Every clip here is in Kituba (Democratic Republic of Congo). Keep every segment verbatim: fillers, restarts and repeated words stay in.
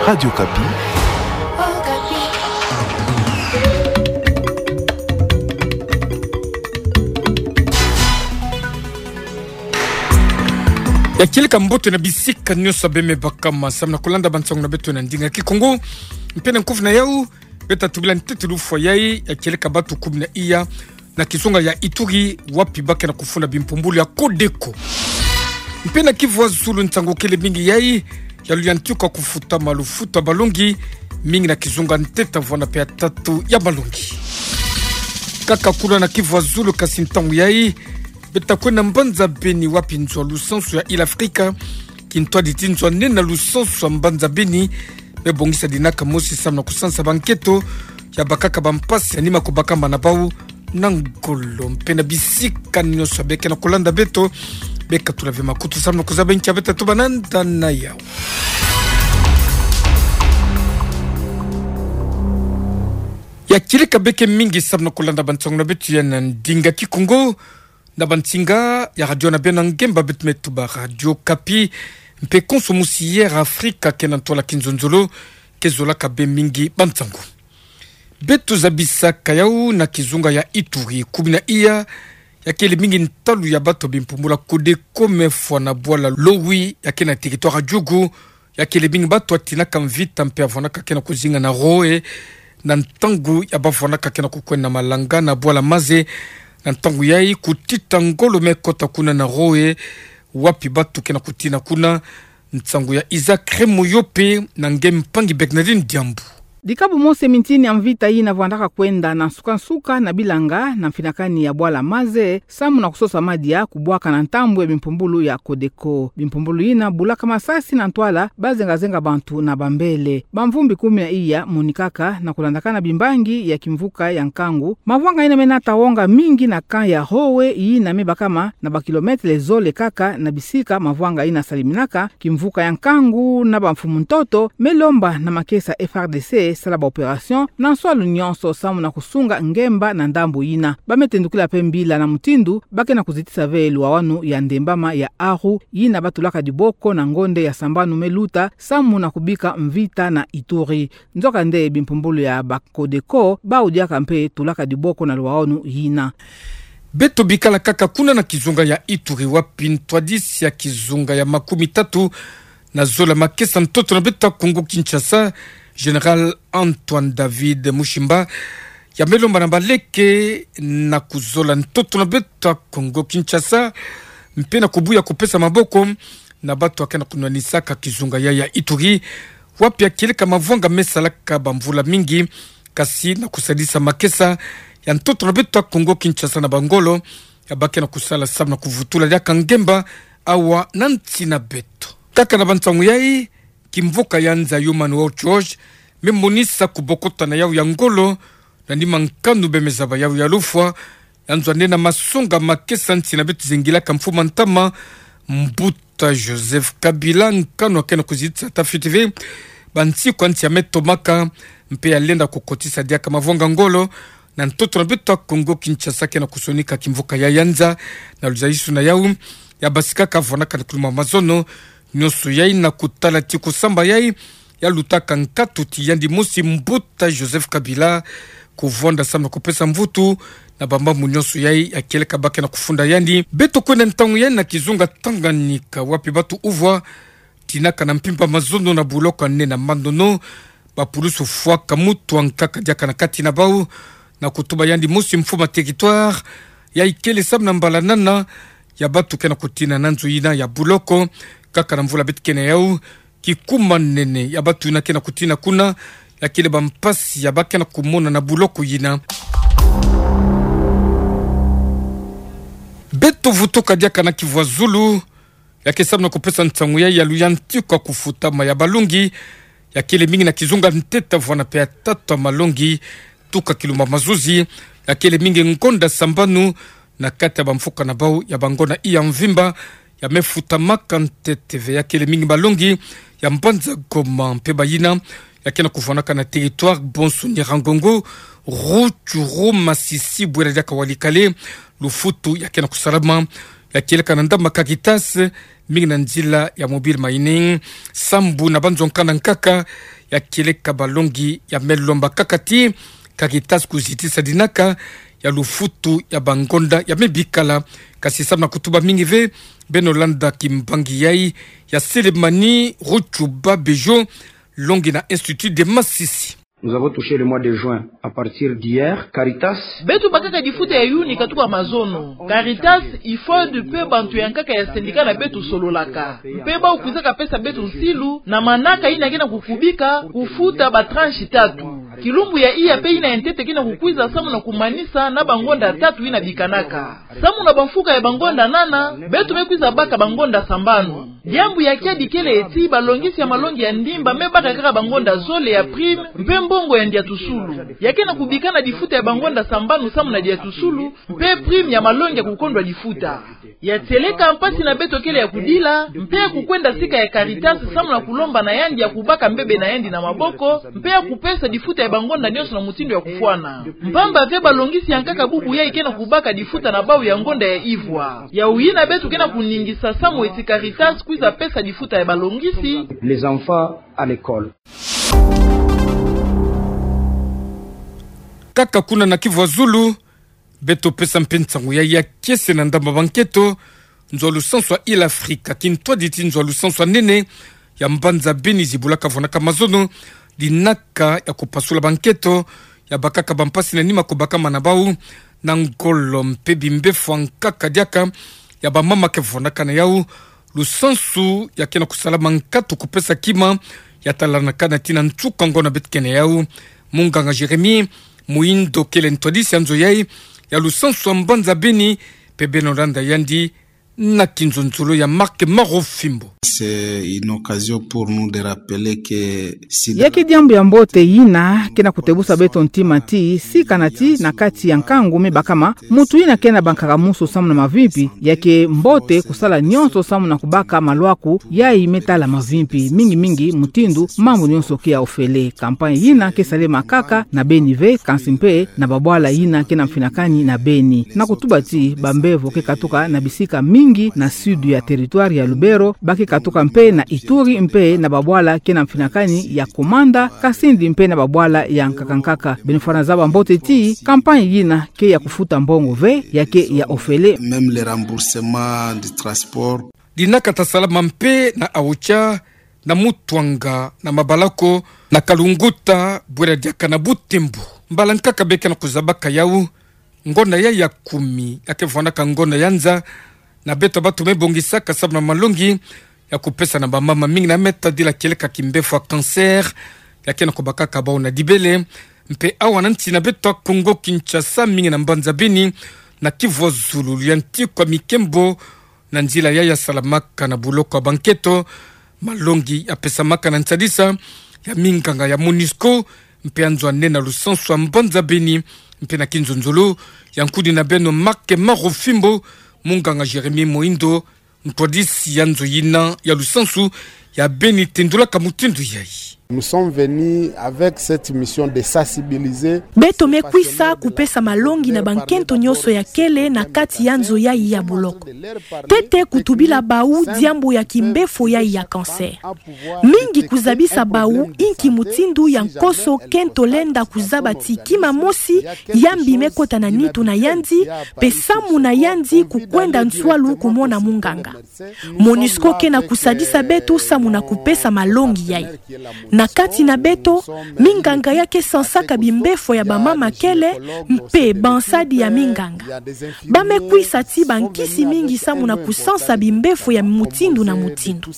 Radio Okapi. Ya kieleka mbote na bisika nyonso beme baka ma samu na kulanda bansangu na beto na ndinga Kikongo. Mpe na nkufi na yau, beta tubila ntete lufwa yai ya kieleka batu kumi na iya na kizunga ya Ituri, wapi bakena kufunda bimpumbulu ya Codeco. Mpe na Kivu ya Zulu, nsangu kele mingi yai ya luyantiku ya kufutama lufutu ya balongi, mingi na kizunga ntete vwanda mpe ya tatu ya malongi. Kaka kuna na Kivu ya Zulu, kasi ntangu yai beta kwenda mbanza Beni, wapi nzo ya lusansu ya Île Africa kintwadi ti nzo ya nene ya lusansu ya mbanza Beni me bongisa dinaka mosi samu na kusansa banketo ya bakaka bampasi ya nima kubakama na bau na ngolo. Mpe na bisika nyonso bekena kulanda beto, bekatula ve makutu samu na kuzaba nki ya beta tubananda na yau. Ya kieleka beke mingi samu na kulanda bansangu na beto ya na ndinga Kikongo na bansinga ya radio na beno ngemba beto me tuba Radio Okapi, mpe konso musi Air Africa ke na ntwala kinzonzolo ke zolaka be mingi bansangu. Beto zabisaka yau na kizunga ya Ituri, kumi na iya ya kele mingi ntalu ya batu ya bimpumbulu ya Codeco me fwa na bwala Lowi ya ke na territoire ya Djugu, ya kele mingi batu ya tinaka mvita mpe ya vwanaka ke na kuzinga na Roe, na ntangu ya ba vwanaka ke na kukwenda malanga na bwala Maze, na ntangu yai kutita ngolo me kota kuna na Roe, wapi batu ke na kutina kuna. Nsangu ya Isaac Remoyope na nge mpangi Bernardine Diambu. Dikabu mosi ya mintini ya mvita yina vwandaka kwenda na nsuka-nsuka na bilanga na mfinakani ya bwala Maze, samu na kusosa madia kubwaka na ntambu ya bimpumbulu ya Codeco. Bimpumbulu yina bulaka masasi na ntwala, bazenga-zenga bantu na bambele. Bamvumbi kumi na iya monikaka na kulandakana bimbangi ya kimvuka ya nkangu. Mavwanga yina me nata wonga mingi na camp ya Roe yina me bakama na ba kilomètre zole kaka na bisika mavwanga yina saliminaka. Kimvuka ya nkangu na bamfumu-ntoto me lomba na makesa F R D C sala ba opération na nswalu nyonso samu na kusunga ngemba na ndambu yina. Ba me tendukila mpe mbila na mutindu ba ke na kuzitisa ve luwawanu ya ndembama ya Aru yina ba tulaka diboko na ngonde ya sambanu me luta samu na kubika mvita na Ituri. Nzokande bimpumbulu ya ba Codeco bau diaka mpe tulaka diboko na luwawanu yina. Beto bikala kaka kuna na kizunga ya Ituri, wapi ntwadisi ya kizunga ya makumi tatu na zole ya makesa ntoto na beto ya Kongo Kinshasa, Général Antoine David Mushimba, ya me lomba na baleke na kuzola ntoto na beto ya Kongo Kinshasa, mpe na kubuya kupesa maboko na batu ya ke na kunwanisaka kizunga ya, ya Ituri, wapi ya kieleka mavwanga me salaka bamvula mingi, kasi na kusadisa makesa ya ntoto na beto ya Kongo Kinshasa na bangolo ya ba ke na kusala samu na kuvutula diaka ngemba awa na nsi na beto. Kaka na bansangu yai, kimvuka ya nza Human Rights Watch me monisa kubokota na yau ya ngolo na nima nkanu beme zaba yau ya lufwa, ya nzo ya nene ya masonga makesa nsi na beto zingilaka mfumu ya ntama, Mbuta Joseph Kabila, nkanu ya ke na kuzitisa ata fioti ve bansiku ya nsi ya me tomaka, mpe ya lenda kukotisa diaka mavwanga ngolo na ntoto na beto ya Kongo Kinshasa ke na kusonika kimvuka ya, ya nza. Na luzayisu na yau, ya basikaka vwanaka na kuluma mazono nyonso yai na kutala ti kusamba yai ya lutaka nkatu ti yandi mosi Mbuta Joseph Kabila kuvonda samu na kupesa mvutu na bamambu nyonso yai ya kieleka ba ke na kufunda yandi. Beto kwenda ntangu yai na kizunga Tanganyika, wapi batu uvwa tinaka na mpimpa mazono na buloko ya nene ya Mandono, bapulusu fwaka mutu ya nkaka diaka na kati na bau, na kutuba yandi mosi mfumu ya territoire, ya ikele samu na mbala nana ya batu ke na kutina na nzo yina ya buloko. Kaka na mvula beto ke na yau, kikuma nene ya batu yina ke na kutina kuna ya kele bampasi ya ba ke na kumona na buloko yina. Beto vutuka diaka na Kivu ya Zulu, ya ke samu na kupesa nsangu yai ya luyantiku ya kufutama ya balongi, ya kele mingi na kizunga ntete vwana mpe ya tatu ya malongi, tuka Kilumba Mazuzi, ya kele mingi ngonda sambanu na kati ya bamfuka na bau ya bangona iya mvimba, ya me futamaka ntete ve. Ya kele mingi malongi ya mbanza Goma mpe bayina ya ke na kuvwanaka na territoire bonso Nyiragongo, Rutshuru, Masisi, bwela diaka Walikale, lufutu ya ke na kusalama ya kieleka na ndamba Caritas, mingi na nzila ya mobile money. Sambu na banzonka na nkaka ya kieleka balongi ya melomba kaka ti Caritas kuzitisa dinaka ya lufutu ya bangonda ya mebikala. Kasi samu na kutuba mingi ve, beno landa kimbangi yai ya Selemani Ruchuba Bejo, longi na Institut de Masisi. Nous avons touché le mois de juin à partir d'hier. Caritas. Beto bakaka difuta ya Yuni katuka mazono. Caritas, IFOD mpe bantu ya nkaka ya syndicat na beto sololaka. Mpe bawu kwizaka pesa beto nsilu na manaka yina ke na kukubika kufuta ba tranche tatu. Kilumbu ya iya mpe yina ya ntete ke na kukwiza samu na kumanisa na bangonda tatu yina bikanaka. Samu na bamfuka ya bangonda nana, beto me kwiza baka bangonda sambanu. Diambu ya kiadi kele ti balongisi ya malongi ya ndimba me baka kaka bangonda zole ya prime mpe mbongo ya ndiatusulu. Ya ke na kubika na difuta ya bangonda sambanu samu na ndiatusulu, mpe prime ya malongi ya kukondwa difuta. Ya tieleka mpasi na beto kele ya kudila, mpe ya kukwenda sika ya Caritas samu na kulomba na yandi ya kubaka mbebe na yandi na maboko, mpe ya kupesa difuta ya bangonda nionso na mutindu ya kufwana. Mpamba ve balongisi ya nkaka bubu yai ke na kubaka difuta na bawu ya ngonda ya ivwa. Yawu yina beto ke na kuningisa samu eti Caritas kwiza pesa difuta ya balongisi. Les enfants à l'école. Kaka kuna na Kivu ya Zulu, beto pesa mpe nsangu yai ya kiese na ndamba banketo, nzo ya lusansu ya Ile Afrika, kintwadi ti nzo ya lusansu ya nene ya mbanza Beni, zibulaka vonaka mazono dinaka ya kupasula banketo ya bakaka bampasi na nima kubakama na bawu na ngolo mpe bimbefo ya nkaka diaka ya bamama ke vonaka na yawu lusansu ya ke na kusalama nkatu kupesa kima ya talanakana ti na nsuka ngonda beto ke na yawu. Munganga Jérémie Muhindo kele ntwadisi ya nzo yai ya lusansu ya mbanza Beni, mpe beno landa yandi na kinzonzolo ya Marc Marofimbo. C'est une occasion pour nous de rappeler que sida. Ya ke diambu ya mbote yina ke na kutebusa beto ntima ti, sikana ti na kati ya nkangu mibakama, mutu yina ke na bankaka musu samu na mavimpi, ya ke mbote kusala nionso samu na kubaka malwaku yai me tala mavimpi, mingi mingi mutindu mambu nionso ke ya ofele. Campagne yina ke salema kaka na Beni ve, kansi mpe na babwala yina ke na mfinakani na Beni. Na kutuba ti bambevo ke katuka na bisika mingi na sud ya territoire ya Lubero, ba ke katuka mpe na Ituri mpe na babwala ke na mfinakani ya Komanda, Kasindi mpe na babwala ya nkaka nkaka. Beno fwana zaba mbote ti campagne yina ke ya kufuta mbongo ve, ya ke ya ofele. Même le remboursement du transport. Dinaka ta salama mpe na Aocha, na Mutuanga, na Mabalako, na Kalunguta, bwela diaka na Butembo. Mbala nkaka be ke na kuzabaka yawu ngonda yai ya kumi, ya ke vwandaka ngonda ya nza, na beto batu me bongisaka samu na malongi ya kupesa na bamama mingi na me tadila kieleka kimbefo ya cancer, ya ke na kubakaka bawu na dibele. Mpe awa na nsi na beto ya Kongo Kinshasa, mingi na mbanza Beni, na Kivu ya Zulu, ya ntikwa mikembo na nzila yai ya salamaka na buloko ya banketo, malongi ya pesamaka na nsadisa ya minganga ya Monusco, mpe ya nzo ya nene na lusansu ya mbanza Beni, mpe na kinzonzolo ya nkudi na beno Marc Marofimbo, munganga Jérémie Muhindo, ntwadisi ya nzo yina ya lusansu ya Beni, tendulaka mutindu yai. Nous sommes venus avec cette mission de sensibiliser. Beto me kwisa kupesa malongi na bankento nionso ya kele na kati ya nzo yai ya buloko. Ntete kutubila bawu diambu ya kimbefo yai ya cancer. Mingi kuzabisa bawu inki mutindu ya nkoso kento lenda kuzaba ti kima mosi ya mbi me kota na nitu na yandi, mpe samu na yandi kukwenda nswalu kumona munganga. Monusco ke na kusadisa beto samu na kupesa malongi yai. Na kati na beto, minganga ya ke sansaka bimbefo ya bamama kele, mpe bansadi ya minganga. Ba me kwisa ti bankisi mingi samu na kusansa bimbefo ya mutindu na mutindu.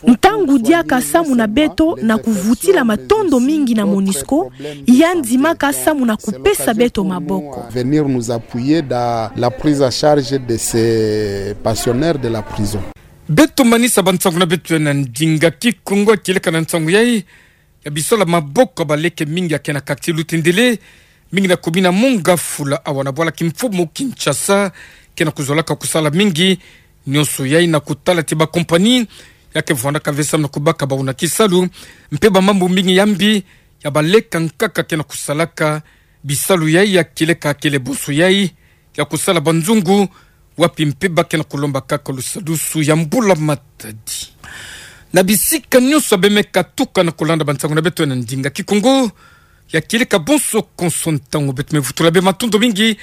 Ntangu diaka samu na beto na kuvutila matondo mingi na Monusco, ya ndimaka samu na kupesa beto maboko. Venir nous appuyer dans la prise en charge de ces pensionnaires de la prison. Beto manisa bansangu na beto ya na ndinga Kikongo, kieleka na nsangu yai ya bisalu ya maboko ya baleke mingi ya ke na quartier Lutendele, mingi na commune ya Mont-Ngafula, awa na bwala kimfumu Kinshasa, ke na kuzolaka kusala mingi. Nionso yai na kutala ti bakompani ya ke vwandaka ve samu na kubaka bawu na kisalu, mpe bamambu mingi ya mbi ya baleka nkaka ke na kusalaka. Bisalu yai ya kieleka kele bonso yai ya kusala banzungu, wapi mpe ba ke na kolomba kaka lusadusu ya mbula matadi. Na bisika nyonso beme katuka na kolanda bansangu na beto na ndinga Kikongo, ya kieleka bonso konso ntangu beto mevutula be matondo mingi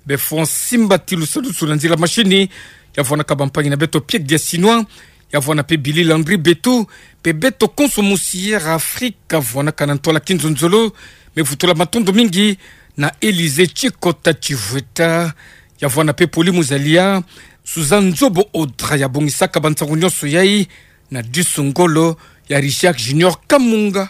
be fuati mbati lusadusu na nzila mashini, ya vwanaka bampangi na beto Pierre Diasinois, ya vwana mpe Billy Landry Betu, mpe beto konso musi Air Afrika vwanaka na ntwala kinzonzolo, mevutula matondo mingi na Elysée Tshikota Tshivweta, ya vwana mpe Poli Muzalia, Suzanne Nzobo Audra ya bongisaka bansangu nyonso yai, na disu ngolo ya Richard Junior Kamunga.